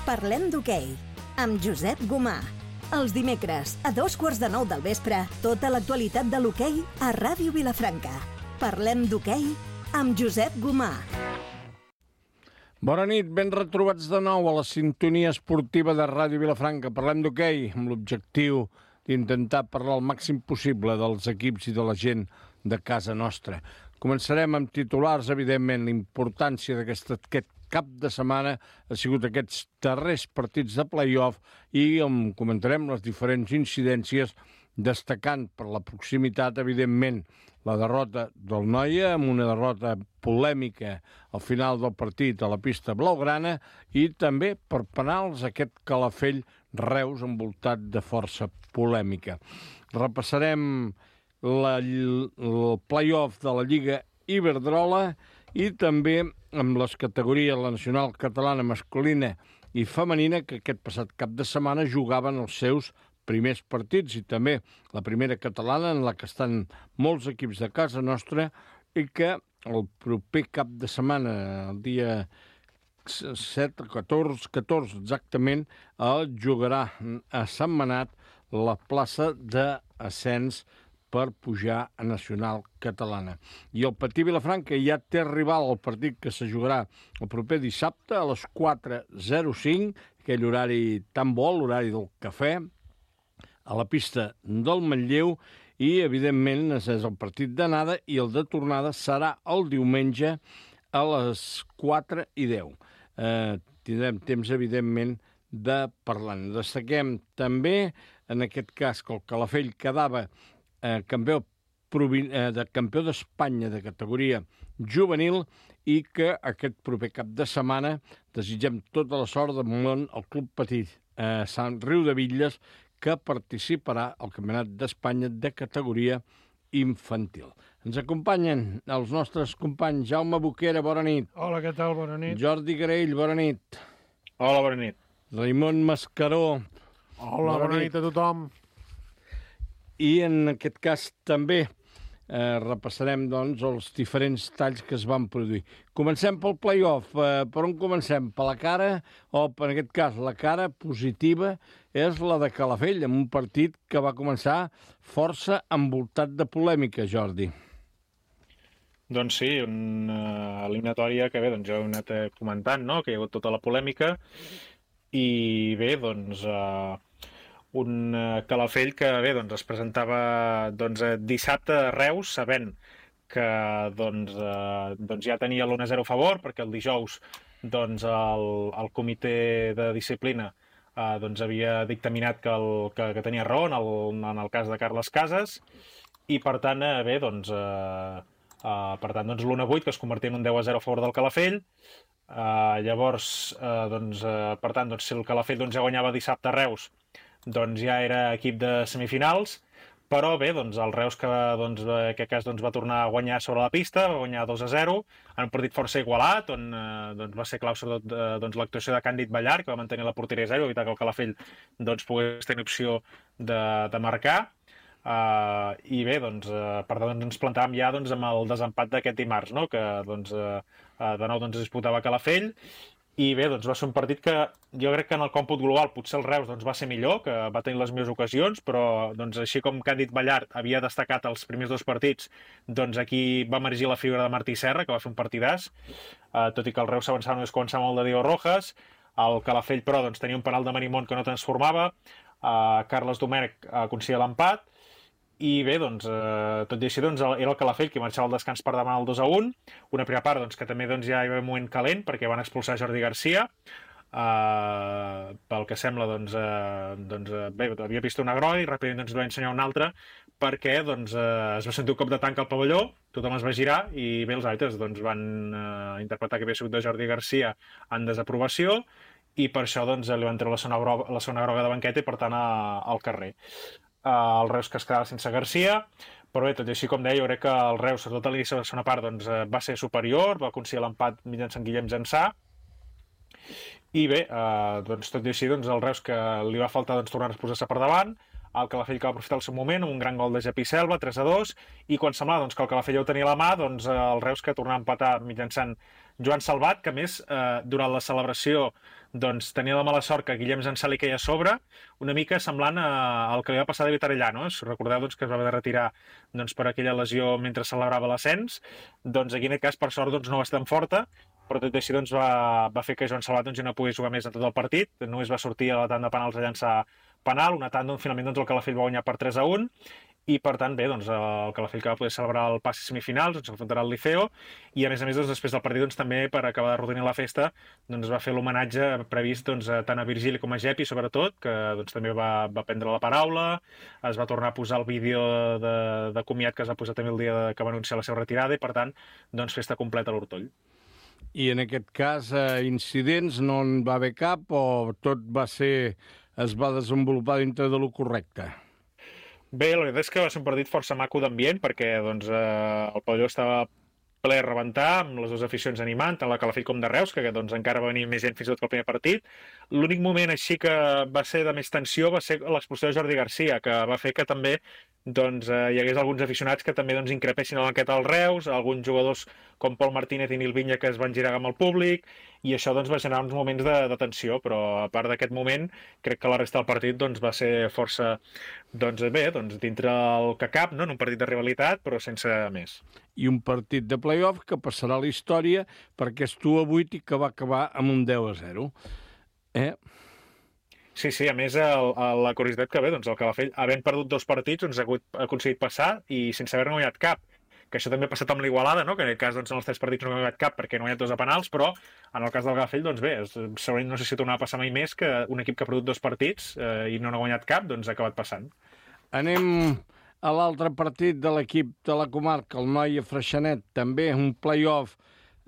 Parlem d'hoquei, amb Josep Gomà. Els dimecres, a 9:15 del vespre, tota l'actualitat de l'hoquei a Ràdio Vilafranca. Parlem d'hoquei amb Josep Gomà. Bona nit, ben retrobats de nou a la sintonia esportiva de Ràdio Vilafranca. Parlem d'hoquei amb l'objectiu d'intentar parlar el màxim possible dels equips i de la gent de casa nostra. Començarem amb titulars, evidentment. La importància d'aquest cap de setmana ha sigut aquests darrers partits de play-off i on comentarem les diferents incidències, destacant per la proximitat, evidentment, la derrota del Noia, amb una derrota polèmica al final del partit a la pista blaugrana, i també per penals aquest Calafell-Reus envoltat de força polèmica. Repassarem el play-off de la Lliga Iberdrola i també amb les categories, la nacional catalana masculina i femenina, que aquest passat cap de setmana jugaven els seus primers partits, i també la primera catalana, en la que estan molts equips de casa nostra, i que el proper cap de setmana, el dia 7, 14 exactament, jugarà a Sentmenat la plaça d'ascens per pujar a nacional catalana. I el Patí Vilafranca ja té rival al partit que se jugarà el proper dissabte a les 4:05, aquell horari tan bo, l'horari del cafè, a la pista del Manlleu, i evidentment és el partit d'anada, i el de tornada serà el diumenge a les 4:10. Tindrem temps, evidentment, de parlar. Destaquem també, en aquest cas, que el Calafell quedava campió d'Espanya de categoria juvenil, i que aquest proper cap de setmana desitgem tota la sort del món al Club Petit Sant Riudebitlles, que participarà al Campionat d'Espanya de categoria infantil. Ens acompanyen els nostres companys Jaume Boquera, bona nit. Hola, què tal? Bona nit. Jordi Graell, bona nit. Hola, bona nit. Raimon Mascaró. Hola, bona nit a tothom. I en aquest cas també repassarem, doncs, els diferents talls que es van produir. Comencem pel play-off. Per on comencem? Per la cara, o en aquest cas la cara positiva és la de Calafell, amb un partit que va començar força envoltat de polèmica, Jordi. Doncs sí, una eliminatòria que bé, doncs ja ho he anat comentant, no?, que hi ha hagut tota la polèmica, i bé, doncs un Calafell que bé, doncs es presentava dissabte a Reus, sabent que ja tenia l'1-0 a favor, perquè el dijous el comitè de disciplina havia dictaminat que tenia raó en el cas de Carles Casas, i per tant bé, l'1-8, que es convertia en un 10-0 a favor del Calafell. Llavors, per tant, si el Calafell ja guanyava dissabte a Reus, ja era equip de semifinals, però bé, el Reus, que en aquest cas va tornar a guanyar sobre la pista, va guanyar 2-0, en un partit força igualat, on va ser clau sobretot l'actuació de Càndid Ballar, que va mantenir la porteria a 0, evitar que el Calafell pogués tenir opció de marcar. I bé, per tant ens plantàvem ja amb el desempat d'aquest dimarts, no?, que de nou es disputava a Calafell, i bé, va ser un partit que jo crec que en el còmput global potser el Reus va ser millor, que va tenir les millors ocasions, però així com Càndid Ballart havia destacat els primers dos partits, aquí va emergir la figura de Martí Serra, que va fer un partidàs, tot i que el Reus s'avançava només començava molt de Diego Rojas. El Calafell, però, tenia un penal de Marimón que no transformava, Carles Domènech aconseguia l'empat, i bé, tot i així era el Calafell qui marxava al descans per demanar el 2-1, una primera part que també ja hi havia un moment calent perquè van expulsar Jordi Garcia, pel que sembla bé, havia vist una groga i ràpidament li va ensenyar una altra perquè es va sentir un cop de tanc al pavelló, tothom es va girar i bé, els àrbitres van interpretar que havia sigut de Jordi Garcia en desaprovació, i per això li van treure la segona groga de banqueta i per tant al carrer. El Reus que es quedava sense Garcia, però bé, tot i així, com deia, jo crec que el Reus, sobretot a l'inici de la segona part, va ser superior, va aconseguir l'empat mitjançant Guillem Jansà, i bé, tot i així, el Reus que li va faltar tornar a posar-se per davant, el Calafell que va aprofitar el seu moment amb un gran gol de Jepi Selva, 3-2, i quan semblava que el Calafell ja ho tenia a la mà, el Reus que tornava a empatar mitjançant Joan Salvat, que a més, durant la celebració doncs tenia la mala sort que Guillem Zansal li queia a sobre, una mica semblant al que li va passar a David Arellano. Recordeu doncs, que es va haver de retirar doncs, per aquella lesió mentre celebrava l'ascens. Doncs aquí en aquest cas, per sort, doncs, no va ser tan forta, però tot i així doncs, va fer que Joan Salvat doncs, ja no pogués jugar més en tot el partit. Només va sortir a la tanda de penals a llançar penal, una tanda on finalment doncs, el Calafell va guanyar per 3-1, i per tant, bé, doncs, el Calafell que va poder celebrar el passi semifinals, doncs s'enfrontarà al Liceo, i a més, doncs, després del partit doncs, també per acabar de rodonir la festa doncs, va fer l'homenatge previst doncs, tant a Virgili com a Gepi, sobretot, que doncs, també va prendre la paraula, es va tornar a posar el vídeo de comiat que es va posar també el dia que va anunciar la seva retirada, i per tant, doncs, festa completa a l'Hortoll. I en aquest cas, incidents no en va haver cap o tot es va desenvolupar dintre de lo correcte? Bé, la veritat és que va ser un partit força maco d'ambient perquè doncs, el pavelló estava ple a rebentar, amb les dues aficions animant, tant la Calafell com de Reus, que doncs, encara va venir més gent fins i tot que el primer partit. L'únic moment així que va ser de més tensió va ser l'expulsió de Jordi Garcia, que va fer que també doncs, hi hagués alguns aficionats que també doncs, increpessin a la banqueta del Reus, alguns jugadors com Pol Martínez i Nil Vinya que es van girar amb el públic, i això doncs, va generar uns moments de tensió, però a part d'aquest moment crec que la resta del partit doncs, va ser força doncs, bé, doncs, dintre el que cap, no? En un partit de rivalitat, però sense més. I un partit de play-off que passarà a la història perquè és 2-8 i que va acabar amb un 10-0. Sí, a més, la curiositat que ve, doncs, el Calafell, havent perdut 2 partits, doncs, ha aconseguit passar i sense haver guanyat cap. Que això també ha passat amb l'Igualada, no? Que en aquest cas, doncs, en els 3 partits no ha guanyat cap perquè no ha guanyat 2 a penals, però en el cas del Calafell, doncs bé, segurament no sé si tornarà a passar mai més que un equip que ha perdut 2 partits i no ha guanyat cap, doncs ha acabat passant. Anem a l'altre partit de l'equip de la comarca, el Noia Freixenet, també un play-off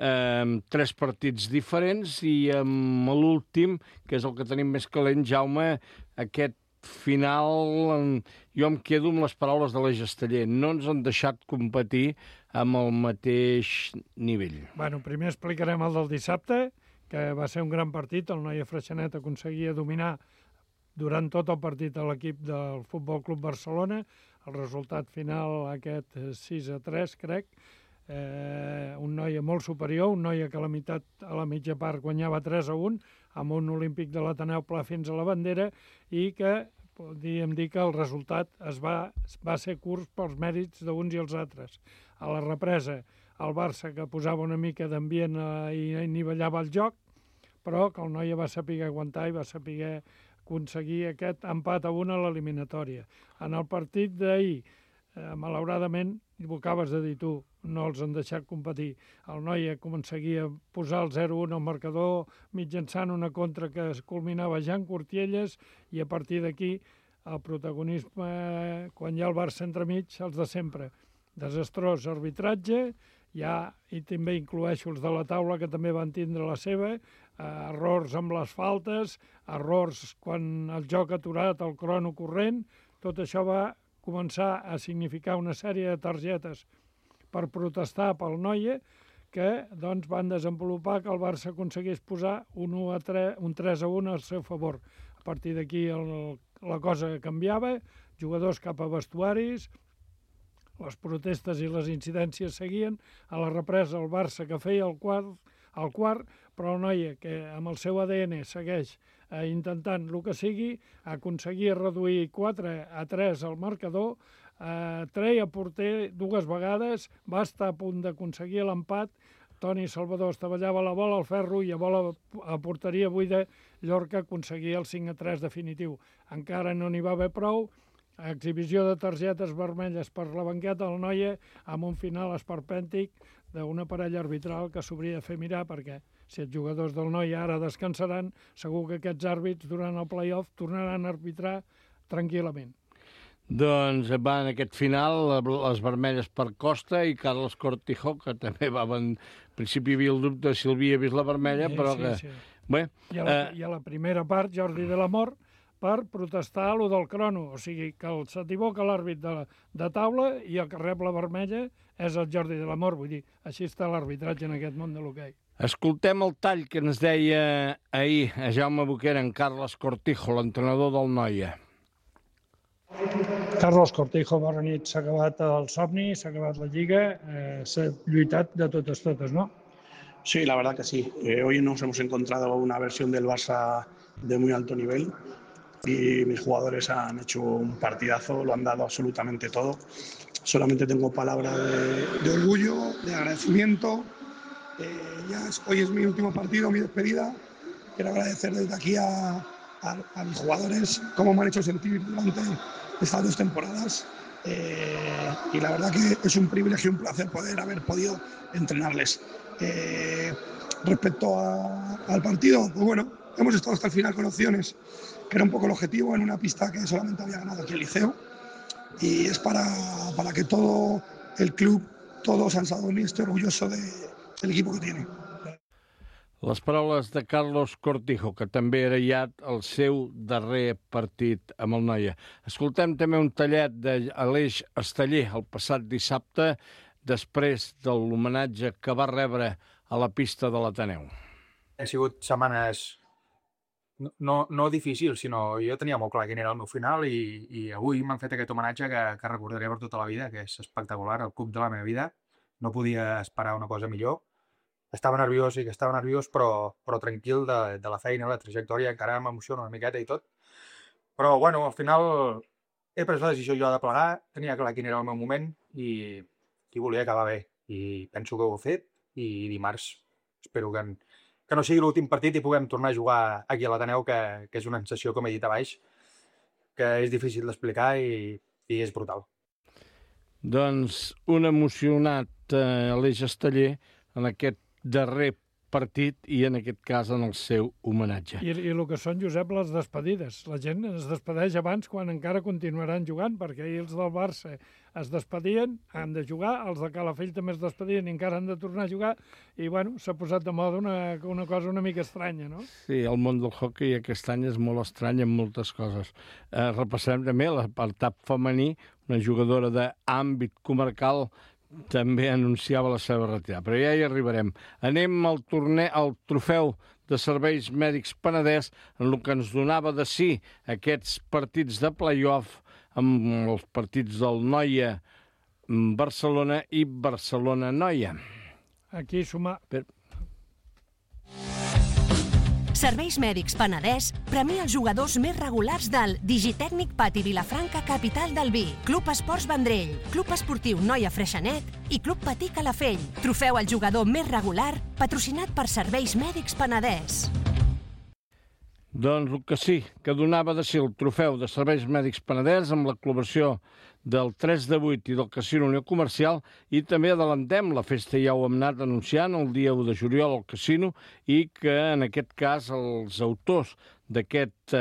amb 3 partits diferents i amb l'últim, que és el que tenim més calent, Jaume, aquest final, jo em quedo amb les paraules de la Gesteller. No ens han deixat competir amb el mateix nivell. Bueno, primer explicarem el del dissabte, que va ser un gran partit. El Noia Freixenet aconseguia dominar durant tot el partit a l'equip del Futbol Club Barcelona. El resultat final, aquest 6-3, crec. Un Noia molt superior, un Noia que a la mitja part guanyava 3-1, amb un olímpic de l'Ateneu Pla fins a la bandera, i que podríem dir que el resultat va ser curt pels mèrits d'uns i els altres. A la represa, el Barça, que posava una mica d'ambient i nivellava el joc, però que el Noia va saber aguantar i va saber aconseguir aquest empat a 1 a l'eliminatòria. En el partit d'ahir, malauradament, ho acabes de dir tu, no els han deixat competir. El Noia aconseguia posar el 0-1 al marcador mitjançant una contra que es culminava ja en Cortielles, i a partir d'aquí el protagonisme, quan hi ha el Barça entremig, els de sempre. Desastrós arbitratge, i també incloeixo els de la taula, que també van tindre la seva, errors amb les faltes, errors quan el joc aturat, el crono corrent. Tot això va començar a significar una sèrie de targetes per protestar pel Noia, que doncs, van desenvolupar que el Barça aconseguís posar un 3-1 al seu favor. A partir d'aquí la cosa canviava, jugadors cap a vestuaris, les protestes i les incidències seguien. A la represa el Barça, que feia el quart, però el Noia, que amb el seu ADN segueix intentant el que sigui, aconseguia reduir 4-3 al marcador, treia porter 2 vegades, va estar a punt d'aconseguir l'empat. Toni Salvador estavellava la bola al ferro i a porteria buida Llorca aconseguia el 5-3 definitiu. Encara no n'hi va haver prou. Exhibició de targetes vermelles per la banqueta del Noia, amb un final esperpèntic d'una parella arbitral que s'hauria de fer mirar, perquè si els jugadors del Noia ara descansaran, segur que aquests àrbits durant el play-off tornaran a arbitrar tranquil·lament. Doncs va en aquest final les vermelles per Costa i Carlos Cortijo, que també va... En principi hi havia el dubte de si havia vist la vermella, però que... Sí. Bé, I a la primera part, Jordi de l'Amor, per protestar a lo del crono. O sigui, que s'equivoca l'àrbit de taula i el que rep la vermella és el Jordi de l'Amor. Vull dir, així està l'arbitratge en aquest món de l'hoquei. escoltem el tall que ens deia ahir a Jaume Boquera en Carles Cortijo, l'entrenador del Noia. Carlos Cortijo, bona nit. S'ha acabat el somni, s'ha acabat la Lliga, s'ha lluitat de totes, no? Sí, la verdad que sí. Hoy nos hemos encontrado una versión del Barça de muy alto nivel y mis jugadores han hecho un partidazo, lo han dado absolutamente todo. Solamente tengo palabras de orgullo, de agradecimiento. Hoy es mi último partido, mi despedida. Quiero agradecer desde aquí a mis jugadores cómo me han hecho sentir durante estas 2 temporadas. Y la verdad que es un privilegio y un placer poder haber podido entrenarles. Respecto al partido, pues bueno, hemos estado hasta el final con opciones, que era un poco el objetivo, en una pista que solamente había ganado aquí el Liceo, y es para que todo el club, todo Sant Sadurní esté orgulloso del equipo que tiene. Les paraules de Carlos Cortijo, que també era ja el seu darrer partit amb el Noia. Escoltem també un tallet d'Aleix Esteller el passat dissabte, després de l'homenatge que va rebre a la pista de l'Ateneu. Han sigut setmanes no difícils, sinó jo tenia molt clar quin era el meu final i avui m'han fet aquest homenatge que recordaré per tota la vida, que és espectacular, el club de la meva vida. No podia esperar una cosa millor. Estava nerviós, sí que estava nerviós, però tranquil de la feina, la trajectòria, encara m'emociona una miqueta i tot. Però, bueno, al final he pres la decisió jo de plegar, tenia clar quin era el meu moment i volia acabar bé. I penso que ho he fet i dimarts espero que no sigui l'últim partit i puguem tornar a jugar aquí a l'Ateneu, que és una sensació, com he dit abans, que és difícil d'explicar i és brutal. Doncs un emocionat Aleix Esteller en aquest darrer partit i en aquest cas en el seu homenatge. I el que són, Josep, les despedides. La gent es despedeix abans quan encara continuaran jugant, perquè ahir els del Barça es despedien, han de jugar, els de Calafell també es despedien i encara han de tornar a jugar, i bueno, s'ha posat de moda una cosa una mica estranya, no? Sí, el món del hoquei aquest any és molt estrany en moltes coses. Repassarem també l'apartat femení, una jugadora d'àmbit comarcal també anunciava la seva retirada, però ja hi arribarem. Anem al trofeu de serveis mèdics Penedès, en el que ens donava de sí aquests partits de play-off amb els partits del Noia Barcelona i Barcelona Noia. Aquí sumar... Serveis Mèdics Penedès premia els jugadors més regulars del Digitècnic Pati Vilafranca, capital del vi, Club Esports Vendrell, Club Esportiu Noia Freixenet i Club Patí Calafell. Trofeu al jugador més regular, patrocinat per Serveis Mèdics Penedès. Doncs el que sí, que donava de si el trofeu de Serveis Mèdics Penedès amb la col·laboració del 3 de 8 i del Casino Unió Comercial, i també adelantem la festa, ja ho hem anat anunciant, el dia 1 de juliol al Casino, i que en aquest cas els autors d'aquest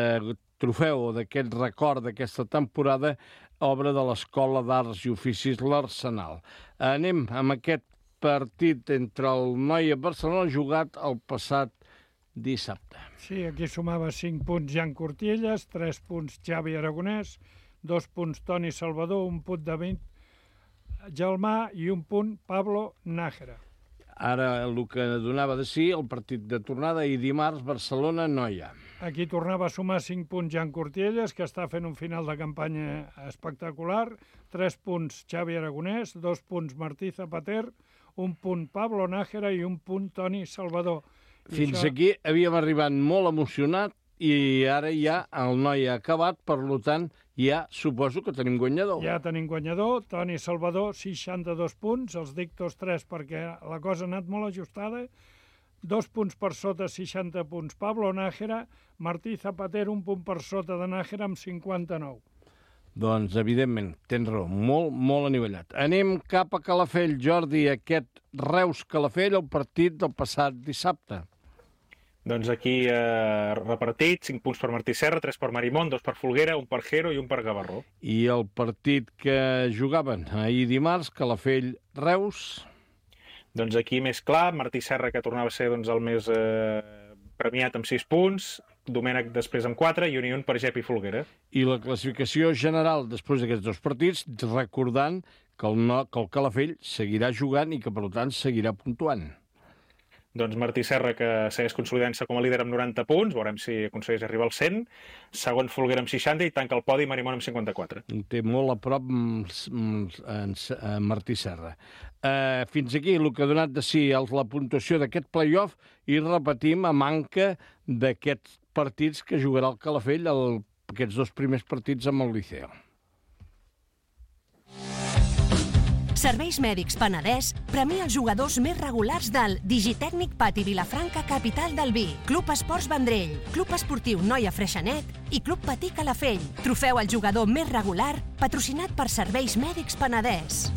trofeu o d'aquest record d'aquesta temporada, obra de l'Escola d'Arts i Oficis L'Arsenal. Anem amb aquest partit entre el Noia Barcelona jugat el passat dissabte. Sí, aquí sumava 5 punts Jan Cortielles, 3 punts Xavi Aragonès, 2 punts Toni Salvador, 1 punt David Gelmà i 1 punt Pablo Nájera. Ara el que donava de si el partit de tornada i dimarts Barcelona-Noia. Aquí tornava a sumar 5 punts Jan Cortielles, que està fent un final de campanya espectacular, 3 punts Xavi Aragonès, 2 punts Martí Zapater, 1 punt Pablo Nájera i 1 punt Toni Salvador. Fins aquí havíem arribat molt emocionat i ara ja el Noia ha acabat, per tant ja suposo que tenim guanyador. Ja tenim guanyador, Toni Salvador, 62 punts, els dic tots 3 perquè la cosa ha anat molt ajustada, 2 punts per sota, 60 punts Pablo Nájera, Martí Zapater 1 punt per sota de Nájera amb 59. Doncs, evidentment, tens raó, molt anivellat. Anem cap a Calafell, Jordi, aquest Reus-Calafell, el partit del passat dissabte. Doncs aquí repartit, 5 punts per Martí Serra, 3 per Marimón, 2 per Folguera, 1 per Jero i 1 per Gavarró. I el partit que jugaven ahir dimarts, Calafell-Reus? Doncs aquí més clar, Martí Serra, que tornava a ser el més premiat amb 6 punts, Domènec després amb 4 i un per Gep i Folguera. I la classificació general després d'aquests 2 partits, recordant que el Calafell seguirà jugant i que, per tant, seguirà puntuant. doncs Martí Serra, que segueix consolidant-se com a líder amb 90 punts, veurem si aconsegueix arribar als 100, segon Folguera amb 60 i tanca el podi Marimón amb 54. Té molt a prop Martí Serra. Fins aquí el que ha donat de si la puntuació d'aquest play-off i repetim a manca d'aquests partits que jugarà el Calafell, aquests 2 primers partits amb el Liceo. Serveis Mèdics Penedès premia els jugadors més regulars del Digitècnic Pati Vilafranca, capital del vi, Club Esports Vendrell, Club Esportiu Noia Freixenet i Club Patí Calafell. Trofeu al jugador més regular, patrocinat per Serveis Mèdics Penedès.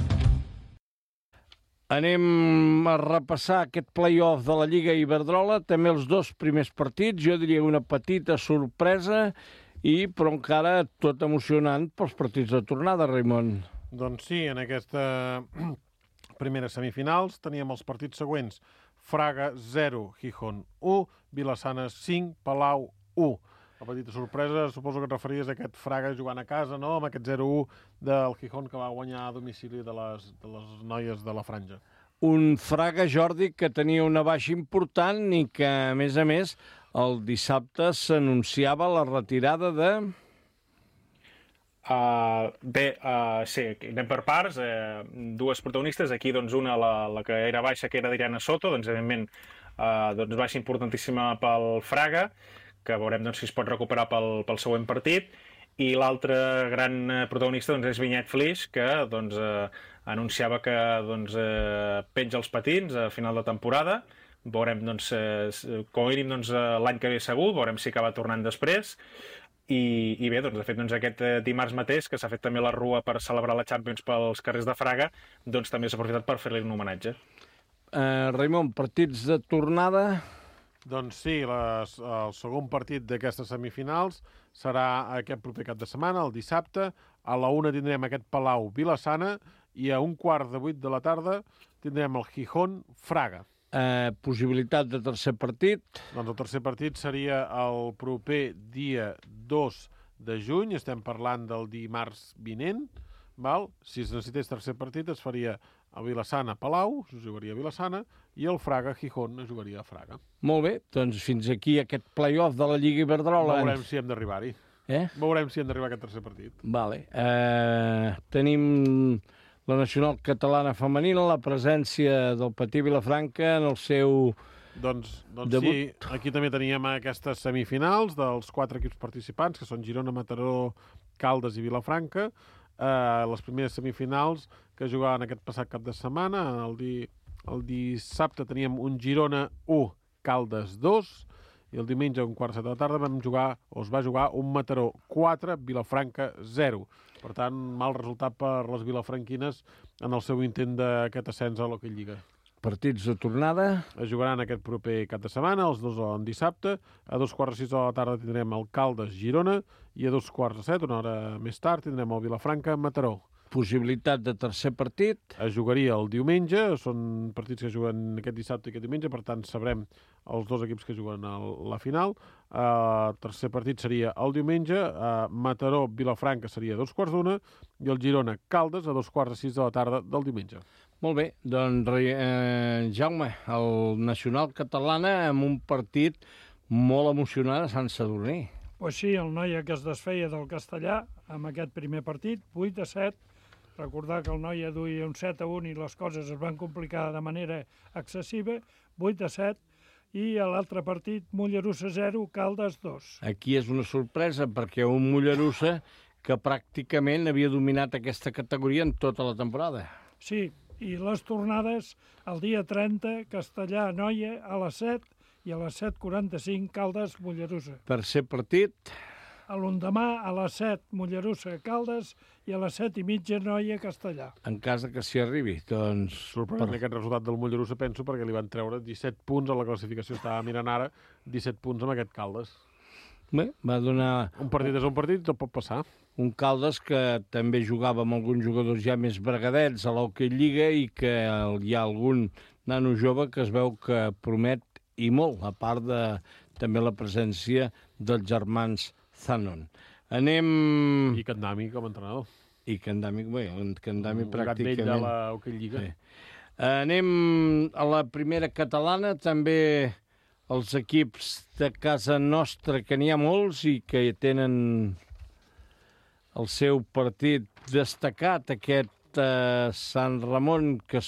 Anem a repassar aquest play-off de la Lliga Iberdrola, també els 2 primers partits, jo diria una petita sorpresa, però encara tot emocionant pels partits de tornada, Raimon. Doncs sí, en aquesta primera semifinals teníem els partits següents. Fraga 0, Gijón 1, Vilassana 5, Palau 1. La petita sorpresa, suposo que et referies a aquest Fraga jugant a casa, no?, amb aquest 0-1 del Gijón que va guanyar a domicili de les noies de la Franja. Un Fraga, Jordi, que tenia una baixa important i que, a més, el dissabte s'anunciava la retirada de... Sí, anem per parts. 2 protagonistes. Aquí, doncs, una, la que era baixa, que era d'Iriana Soto, doncs, evidentment, baixa importantíssima pel Fraga, que veurem doncs, si es pot recuperar pel següent partit. I l'altre gran protagonista doncs, és Vinyet Flix, que doncs, anunciava que doncs, penja els patins a final de temporada. Veurem, doncs, com a mínim, doncs, l'any que ve segur, veurem si acaba tornant després. I bé, doncs, de fet, doncs, aquest dimarts mateix, que s'ha fet també la rua per celebrar la Champions pels carrers de Fraga, doncs també s'ha aprofitat per fer-li un homenatge. Raimon, partits de tornada? Doncs sí, el segon partit d'aquestes semifinals serà aquest proper cap de setmana, el dissabte. A la 1 tindrem aquest Palau Vilassana i a 7:15 de la tarda tindrem el Gijón Fraga. Possibilitat de tercer partit? Doncs el tercer partit seria el proper dia 2 de juny, estem parlant del dimarts vinent, val? Si es necessités tercer partit es faria a Vilassana-Palau, es jugaria a Vilassana, i el Fraga-Gijón es jugaria a Fraga. Molt bé, doncs fins aquí aquest play-off de la Lliga Iberdrola. Veurem si hem d'arribar-hi. Veurem si hem d'arribar a aquest tercer partit. Vale. Tenim la nacional catalana femenina, la presència del Patí Vilafranca en el seu doncs debut. Sí, aquí també teníem aquestes semifinals dels 4 equips participants, que són Girona, Mataró, Caldes i Vilafranca. Les primeres semifinals que jugaven aquest passat cap de setmana. El dissabte teníem un Girona 1, Caldes 2, i el diumenge a 7:15 de la tarda es va jugar un Mataró 4, Vilafranca 0. Per tant, mal resultat per les vilafranquines en el seu intent d'aquest ascens a l'Hockey Lliga. Partits de tornada? Es jugaran aquest proper cap de setmana, els 2 en dissabte. A 2:15 de la tarda tindrem el Caldes-Girona i a 2:15, una hora més tard, tindrem el Vilafranca-Mataró. Possibilitat de tercer partit? Es jugaria el diumenge, són partits que juguen aquest dissabte i aquest diumenge, per tant sabrem els 2 equips que juguen a la final. El tercer partit seria el diumenge, Mataró-Vilafranca seria a 2:15 i el Girona-Caldes a 2:15 de la tarda del diumenge. Molt bé, doncs Jaume, el nacional catalana amb un partit molt emocionant a Sant Sadurní. Pues sí, el Noia que es desfeia del Castellà amb aquest primer partit, 8-7. Recordar que el Noia duia un 7-1 i les coses es van complicar de manera excessiva, 8-7. I a l'altre partit, Mollerussa 0, Caldes 2. Aquí és una sorpresa perquè un Mollerussa que pràcticament havia dominat aquesta categoria en tota la temporada. Sí, i les tornades el dia 30, Castellà-Noia a les 7 i a les 7:45 Caldes-Mollerussa. Tercer partit? L'endemà a les 7 Mollerussa-Caldes i a les 7:30 Noia-Castellà. En cas que s'hi arribi, doncs... Sorprenent aquest resultat del Mollerussa, penso, perquè li van treure 17 punts a la classificació. Estava mirant ara 17 punts amb aquest Caldes. Bé, va donar... Un partit és un partit, tot pot passar. Un Caldes que també jugava amb alguns jugadors ja més bregadets a l'Hockey Lliga i que hi ha algun nano jove que es veu que promet i molt, a part de també la presència dels germans Zanon. Anem... I Candami com a entrenador. I Candami, bé, Candami un pràcticament... gat vell de l'Hockey Lliga. Sí. Anem a la primera catalana, també els equips de casa nostra, que n'hi ha molts i que tenen el seu partit destacat, aquest Sant Ramon, que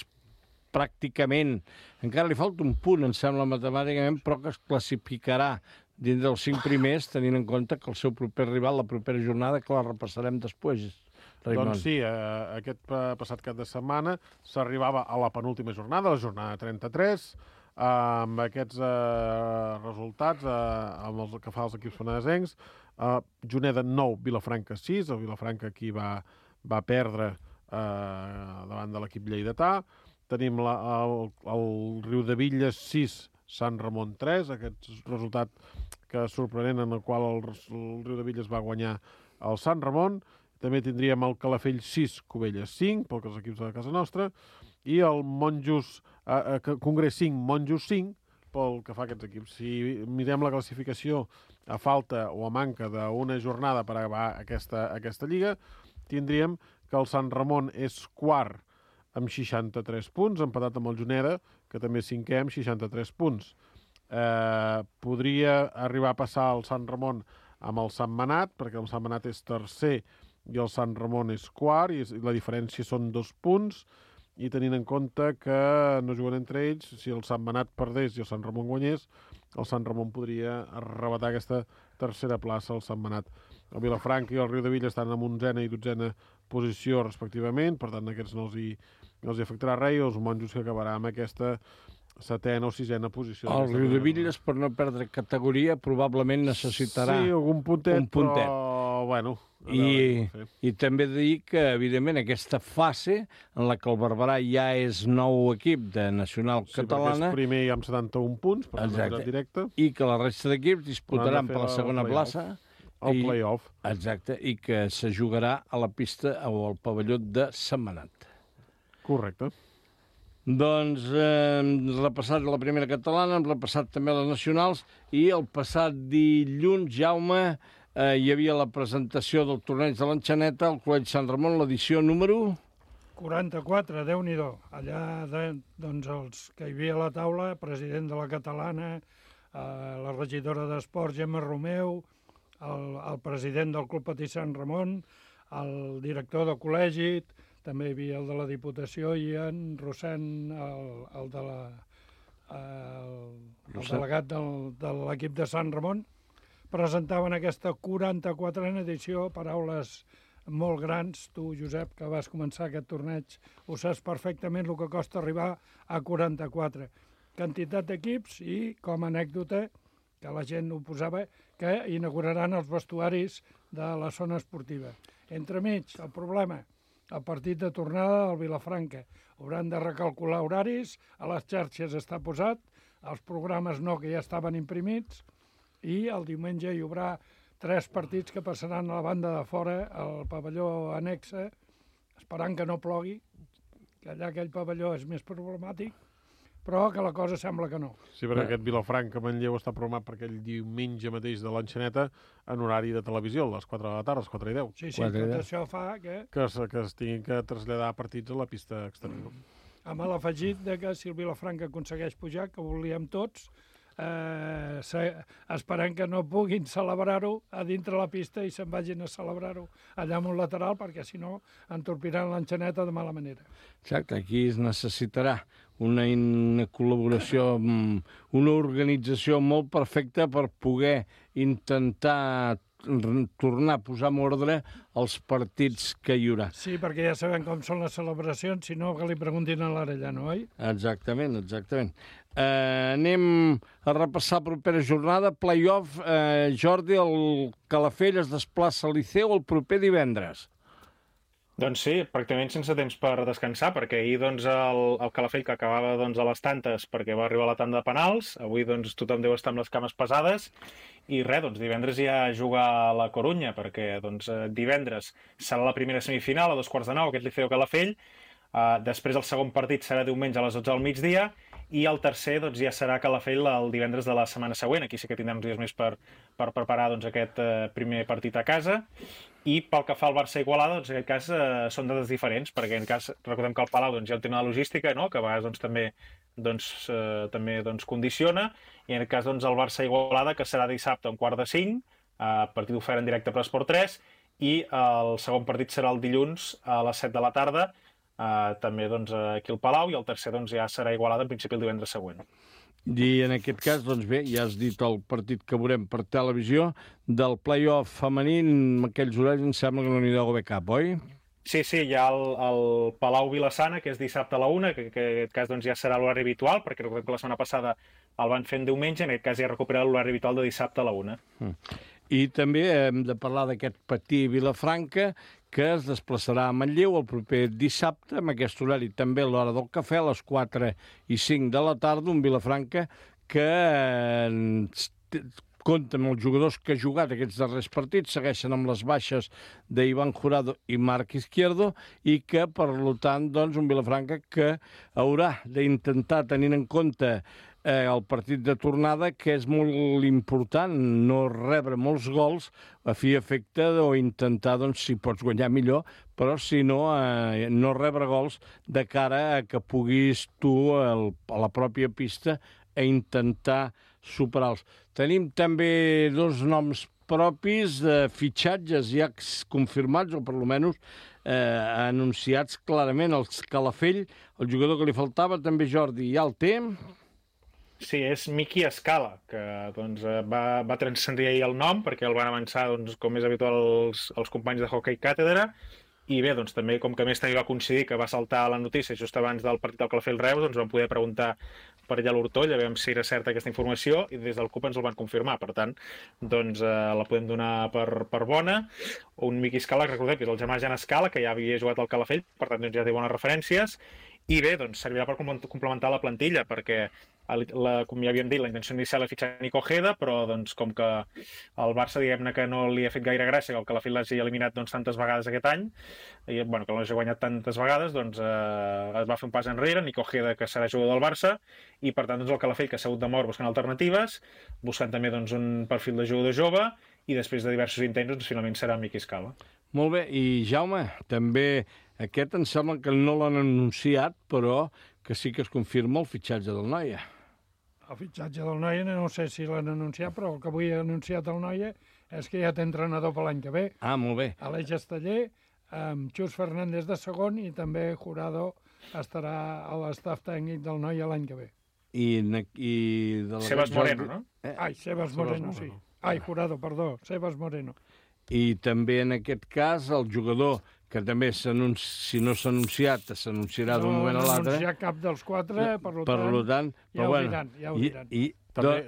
pràcticament, encara li falta un punt, em sembla, matemàticament, però que es classificarà dins dels 5 primers, tenint en compte que el seu proper rival, la propera jornada, que la repassarem després, Raimon. Doncs sí, aquest passat cap de setmana s'arribava a la penúltima jornada, la jornada 33, amb aquests resultats, amb els que fa els equips penedesencs. Juneda 9, Vilafranca 6, el Vilafranca aquí va perdre davant de l'equip lleidatà. Tenim el Riudevilles 6, Sant Ramon 3, aquest resultat que sorprenent en el qual el Riudevilles va guanyar el Sant Ramon. També tindríem el Calafell 6, Cubelles 5, pel que els equips de casa nostra, i el Congrés 5, Monjos 5, pel que fa a aquests equips. Si mirem la classificació a falta o a manca d'una jornada per acabar aquesta lliga, tindríem que el Sant Ramon és quart amb 63 punts, empatat amb el Juneda, que també és cinquè amb 63 punts. Podria arribar a passar el Sant Ramon amb el Sant Manat, perquè el Sant Manat és tercer i el Sant Ramon és quart, i la diferència són 2 punts, i tenint en compte que no juguen entre ells, si el Sant Manat perdés i el Sant Ramon guanyés, el Sant Ramon podria arrebatar aquesta tercera plaça al Sant Manat. El Vilafranca i el Riudevilles estan en 11a i 12a posició respectivament, per tant aquests no els hi afectarà res, i els Monjos que acabarà amb aquesta 7a o 6a posició. El Riudevilles, per no perdre categoria, probablement necessitarà un puntet. Però, bueno... I també dir que, evidentment, aquesta fase en la que el Barberà ja és nou equip de nacional catalana... Sí, perquè és primer i amb 71 punts, per la directe. I que la resta d'equips disputaran per la segona plaça. El play-off. Exacte, i que se jugarà a la pista o al pavelló de Sant Manat. Correcte. Doncs hem repassat la primera catalana, hem repassat també les nacionals, i el passat dilluns, Jaume, hi havia la presentació del torneig de l'Enxaneta al Col·legi Sant Ramon, l'edició número... 44, Déu-n'hi-do. Allà, doncs, els que hi havia a la taula, president de la catalana, la regidora d'Esports, Gemma Romeu, el president del Club Patí Sant Ramon, el director del col·legi, també hi havia el de la Diputació i en Rossent, el delegat de l'equip de Sant Ramon, presentaven aquesta 44a edició, paraules molt grans. Tu, Josep, que vas començar aquest torneig, ho saps perfectament el que costa arribar a 44. Quantitat d'equips i, com a anècdota, que la gent ho posava, que inauguraran els vestuaris de la zona esportiva. Entremig, el problema, el partit de tornada del Vilafranca. Hauran de recalcular horaris, a les xarxes està posat, els programes no, que ja estaven imprimits, i el diumenge hi haurà 3 partits que passaran a la banda de fora, al pavelló anexa, esperant que no plogui, que allà aquell pavelló és més problemàtic, però que la cosa sembla que no. Sí, perquè aquest Vilafranca Manlleu està programat per aquell diumenge mateix de l'Enxaneta en horari de televisió, a les 4 de la tarda, a les 4:10. Sí, tot això fa que... Que es tinguin que traslladar partits a la pista exterior. Amb l'afegit de que si el Vilafranca aconsegueix pujar, que volíem tots, esperant que no puguin celebrar-ho a dintre la pista i se'n vagin a celebrar-ho allà en un lateral, perquè si no entorpiran l'Enxaneta de mala manera. Exacte, aquí es necessitarà una col·laboració, una organització molt perfecta per poder intentar tornar a posar en ordre els partits que hi haurà. Sí, perquè ja sabem com són les celebracions, si no que li preguntin a l'Arellano, oi? Exactament, exactament. Anem a repassar la propera jornada. Play-off, Jordi, el Calafell es desplaça al Liceu el proper divendres. Doncs sí, pràcticament sense temps per descansar, perquè ahir doncs, el Calafell, que acabava doncs, a les tantes perquè va arribar a la tanda de penals, avui doncs, tothom deu estar amb les cames pesades, i res, doncs, divendres ja juga a la Corunya, perquè doncs, divendres serà la primera semifinal a 9:15, aquest Liceu Calafell, després el segon partit serà diumenge a les 12 del migdia, i el tercer doncs, ja serà Calafell el divendres de la setmana següent. Aquí sí que tindrem uns dies més per preparar doncs, aquest primer partit a casa. I pel que fa al Barça-Igualada, doncs, en aquest cas són dades diferents, perquè en cas recordem que el Palau doncs, hi ha un tema de logística, no? Que a vegades també condiciona, i en aquest cas doncs, el Barça-Igualada, que serà dissabte a 4:45, partit ofert en directe per Esport 3, i el segon partit serà el dilluns a les 7 de la tarda, també doncs, aquí al Palau, i el tercer doncs, ja serà Igualada en principi el divendres següent. I en aquest cas, doncs bé, ja has dit el partit que veurem per televisió, del play-off femení, amb aquells horaris em sembla que no n'hi deu haver cap, oi? Sí, hi ha el Palau Vilassana, que és dissabte a la 1, que en aquest cas doncs, ja serà l'horari habitual, perquè recordem que la setmana passada el van fer en diumenge, en aquest cas ja ha recuperat l'horari habitual de dissabte a la 1. I també hem de parlar d'aquest Patí Vilafranca, que es desplaçarà a Manlleu el proper dissabte, amb aquest horari també a l'hora del cafè, a les 4:05 de la tarda, un Vilafranca que compta amb els jugadors que ha jugat aquests darrers partits, segueixen amb les baixes d'Ivan Jurado i Marc Izquierdo, i que, per tant, doncs, un Vilafranca que haurà d'intentar, tenint en compte el partit de tornada, que és molt important no rebre molts gols a fi i efecte o intentar, doncs, si pots guanyar millor, però si no, no rebre gols de cara a que puguis tu a la pròpia pista a intentar superar-los. Tenim també dos noms propis de fitxatges ja confirmats, o per almenys anunciats clarament. El Calafell, el jugador que li faltava, també Jordi, ja el té. Sí, és Miki Escala, que doncs, va transcendir ahir el nom, perquè el van avançar, doncs, com és habitual, els companys de Hockey Càtedra, i bé, doncs, també, com que a més també va coincidir que va saltar la notícia just abans del partit del Calafell-Reus, doncs vam poder preguntar per allà a l'Hortoll, a veure si era certa aquesta informació, i des del CUP ens el van confirmar. Per tant, doncs, la podem donar per bona. Un Miki Escala, que recordem que és el germà Jan Escala, que ja havia jugat al Calafell, per tant, doncs, ja té bones referències, i bé, doncs, servirà per complementar la plantilla, perquè, com ja havíem dit, la intenció inicial era fitxar Nico Ojeda, però doncs, com que el Barça, diguem-ne que no li ha fet gaire gràcia que el Calafell l'hagi eliminat doncs, tantes vegades aquest any, i bueno, que l'hagi guanyat tantes vegades, doncs es va fer un pas enrere, Nico Ojeda, que serà jugador del Barça, i per tant doncs, el Calafell, que ha sigut de mort buscant alternatives, buscant també doncs, un perfil de jugador jove, i després de diversos intents, doncs, finalment serà Miki Escala. Molt bé, i Jaume, també aquest em sembla que no l'han anunciat, però que sí que es confirma el fitxatge del Noia. El fitxatge del Noia no sé si l'han anunciat, però el que avui ha anunciat el Noia és que ja té entrenador per l'any que ve. Ah, molt bé. Aleix Esteller, amb Xus Fernández de segon, i també Jurado estarà a l'estaf tècnic del Noia l'any que ve. I de Sebas Moreno, no? Ai, Sebas Moreno, sí. Ai, Jurado, perdó, Sebas Moreno. I també en aquest cas el jugador que també, si no s'ha anunciat, s'anunciarà d'un moment a l'altre. No s'ha anunciat cap dels quatre, per tant ja ho diran.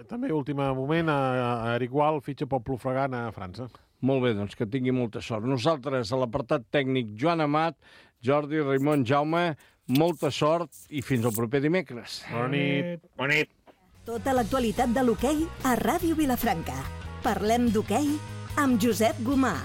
També, últim moment, a Eric Gual fitxa pel Plofregan a França. Molt bé, doncs que tingui molta sort. Nosaltres, a l'apartat tècnic, Joan Amat, Jordi, Raimon, Jaume, molta sort i fins al proper dimecres. Bona nit. Bona nit. Tota l'actualitat de l'hoquei a Ràdio Vilafranca. Parlem d'hoquei amb Josep Gomà.